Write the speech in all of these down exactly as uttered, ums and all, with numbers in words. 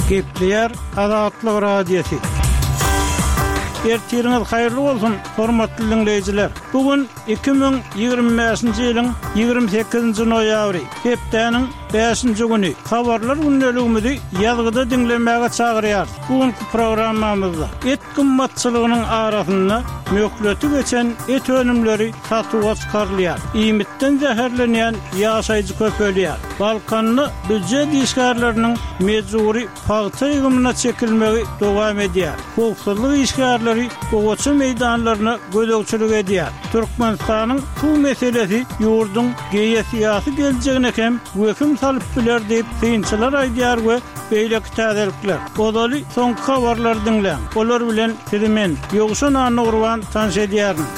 Gepleýär Azatlyk Radiosy. Ertiriňiz haýyrly bolsun, hormatly diňleýjiler! Bu gün iki müň ýigrimi bäşinji ýylyň ýigrimi sekizinji noýabry, hepdäniň bäşinji güni. Habarlar gündeligimizi ýazgyda diňlemäge çagyrýarys. Bu günki programmamyzda et gymmatçylygynyň arasynda möhleti geçen et önümleri satuwa çykarylýar, iýmitden zäherlenýän ýaşaýjy köpelýär, Balkanda býujet işgärleriniň mejbury pagta ýygymyna çekilmegi dowam edýär, howpsuzlyk işgärleri gowaça meýdanlaryna gözegçilik edýär, Türkmenistanyň suw meselesi ýurduň geosyýasy geljegine hem wehim salyp biler diýip, synçylar aýdýar we beýleki täzelikler. Ozaly soňky habarlary diňläň. Olar bilen sizi men, Ýowşan Annagurban tanyş edýärin.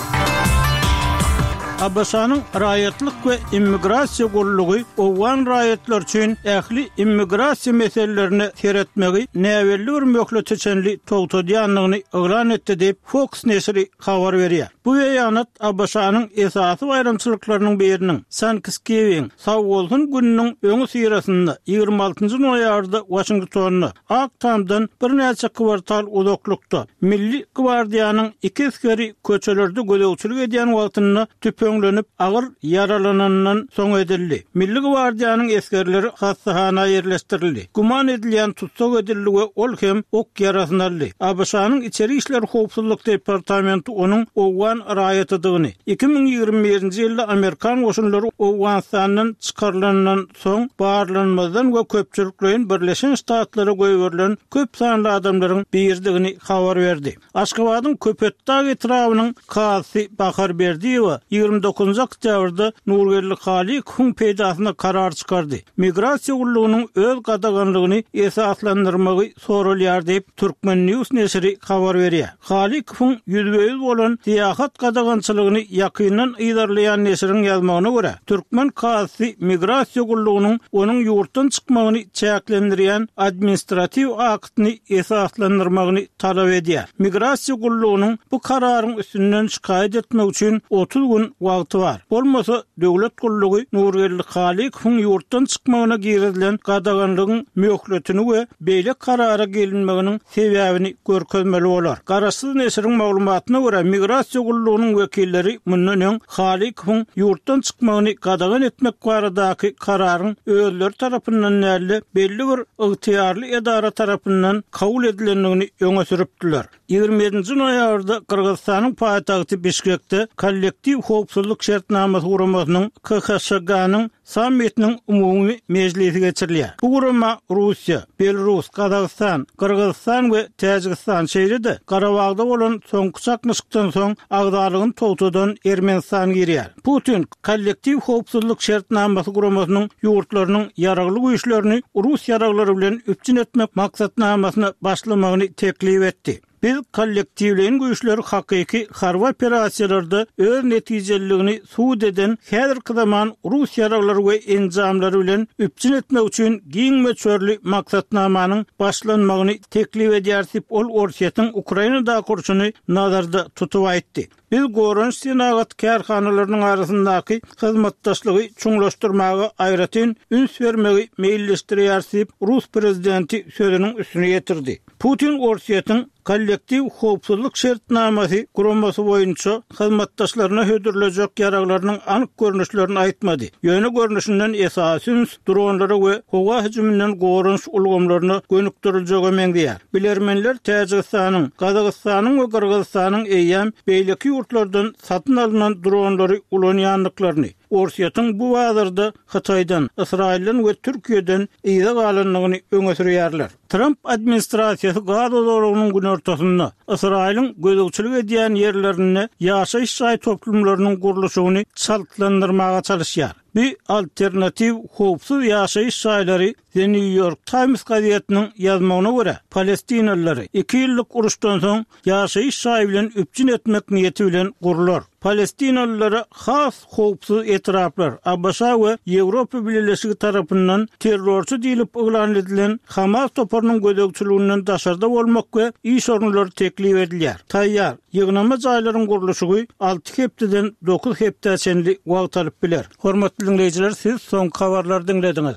ABŞ-nyň Raýatlyk we immigrasiýa gullugy owgan raýatlary üçin ähli immigrasiýa meselelerine seretmegi näbelli bir möhlete çenli togtadýandygyny yglan etdi diýip, Fox neşiri habar berýär. Bu beýanat ABŞ-nyň esasy baýramçylyklarynyň biriniň, Thanksgiving, Sagbolsun gününiň öňüsyrasynda, ýigrimi altynjy noýabrda Waşingtonda, Ak Tamdan birnäçe kwartal uzaklykda, Milli gwardiýanyň iki esgeri köçelerde gözegçilik edýän wagtynda tüpeňlenip, agyr ýaralananyndan soň edildi. Milli gwardiýanyň esgerleri hassahana ýerleşdirildi. Güman edilýän tussag edildi we ol hem ok ýarasyny aldy. ABŞ-nyň Içeri işler howpsuzlyk departamenti onuň owgan raýatydygyny, iki müň ýigrimi birinji ýylda amerikan goşunlary Owganystandan çykarylanyndan soň barlanmazdan we köpçülikleýin Birleşen Ştatlara goýberilen köp sanly adamlaryň biridigini habar berdi. Aşgabadyň Köpetdag etrabynyň kazysy Bahar Berdiýewa ýigrimi dokuzynjy oktýabrda Nurgeldi Halykowyň peýdasyna karar çykardy. Migrasiýa gullugynyň öz gadaganlygyny esaslandyrmagy soralýar diýip, Turkmen. News neşiri habar berýär. Halykowyň ýüzbe-ýüz bolan syýahat gadagançylygyny ýakyndan yzarlaýan neşiriň ýazmagyna görä, türkmen kazysy migrasiýa gullugynyň onuň ýurtdan çykmagyny çäklendirýän administratiw aktyny esaslandyrmagyny talap edýär. Migrasiýa gullugynyň bu kararyň üstünden şikaýat etmek üçin otuz gün wagty bar. Bolmasa, döwlet gullugy Nurgeldi Halykowyň ýurtdan çykmagyna girizilen gadaganlygyň möhletini we beýle karara gelinmeginiň sebäbini görkezmeli bolar. Garaşsyz neşiriň maglumatyna görä, migrasiýa gullugynyň wekilleri mundan öň Halykowyň ýurtdan çykmagyny gadagan etmek baradaky kararyň özleri tarapyndan däl-de, belli bir ygtyýarly edara tarapyndan kabul edilendigini öňe sürüpdiler. Ýigrimi ýedinji noýabrda Gyrgyzystanyň paýtagty Bişkekde Kollektiw howpsuzlyk şertnamasy guramasynyň, KHŞG-nyň, sammitiniň umumy mejlisi geçirilýär. Bu gurama Russiýa, Belarus, Gazagystan, Gyrgyzystan we Täjigistan, şeýle-de Garabagda bolan soňky çaknyşykdan soň agzalygyny togtadan Ermenistan girýär. Putin Kollektiw howpsuzlyk şertnamasy guramasynyň ýurtlarynyň ýaragly güýçlerini rus ýaraglary bilen üpjün etmek maksatnamasyna başlamagyny teklip etdi. Biz kollektiwleýin güýçleri hakyky harby operasiýalarda öz netijeliligini subut eden häzirki zaman rus ýaraglary we enjamlary bilen üpjün etmek üçin giň möçberli maksatnamanyň başlanmagyny teklip edýäris diýip, ol Orsýetiň Ukrainadaky urşuny nazarda tutup aýtdy. Biz goranyş senagat kärhanalarynyň arasyndaky hyzmatdaşlygy çuňlaşdyrmaga aýratyn üns bermegi meýilleşdirýäris diýip, rus prezidenti sözüniň üstüni ýetirdi. Putin Orsýetiň Kollektiw howpsuzlyk şertnamasy guramasy boýunça hyzmatdaşlaryna hödürlejek ýaraglarynyň anyk görnüşlerini aýtmady. Ýöne görnüşinden esasy üns dronlara we howa hüjüminden goranyş ulgamlaryna gönükdiriljege meňzeýär. Bilermenler Täjigistanyň, Gazagystanyň we Gyrgyzystanyň eýýäm beýleki ýurtlardan satyn alnan dronlary ulanýandyklaryny, Orsýetiň bu bazarda Hytaýdan, Ysraýyldan we Türkiýeden yza galandygyny öňe sürýärler. Tramp administrasiýasy Gaza zolagynyň günortasynda, Ysraýylyň gözegçilik edýän ýerlerinde ýaşaýyş jaý toplumlarynyň gurluşygyny çaltlandyrmaga çalyşýar. Bu alternatiw howpsuz ýaşaýyş jaýlary The New York Times gazetiniň ýazmagyna görä, palestinalylary iki ýyllyk uruşdan soň ýaşaýyş jaýy bilen üpjün etmek niýeti bilen gurlar. Palestinalylara has howpsuz etraplar ABŞ we Ýewropa Bileleşigi tarapyndan terrorçy diýlip yglan edilen Hamas toparynyň gözegçiliginden daşarda bolmak we iş orunlary teklip edilýär. Taýýar ýygnama jaýlaryň gurluşygy alty hepdeden dokuz hepdä çenli wagt alyp biler. Hormatly diňleýjiler, siz soňky habarlary diňlediňiz.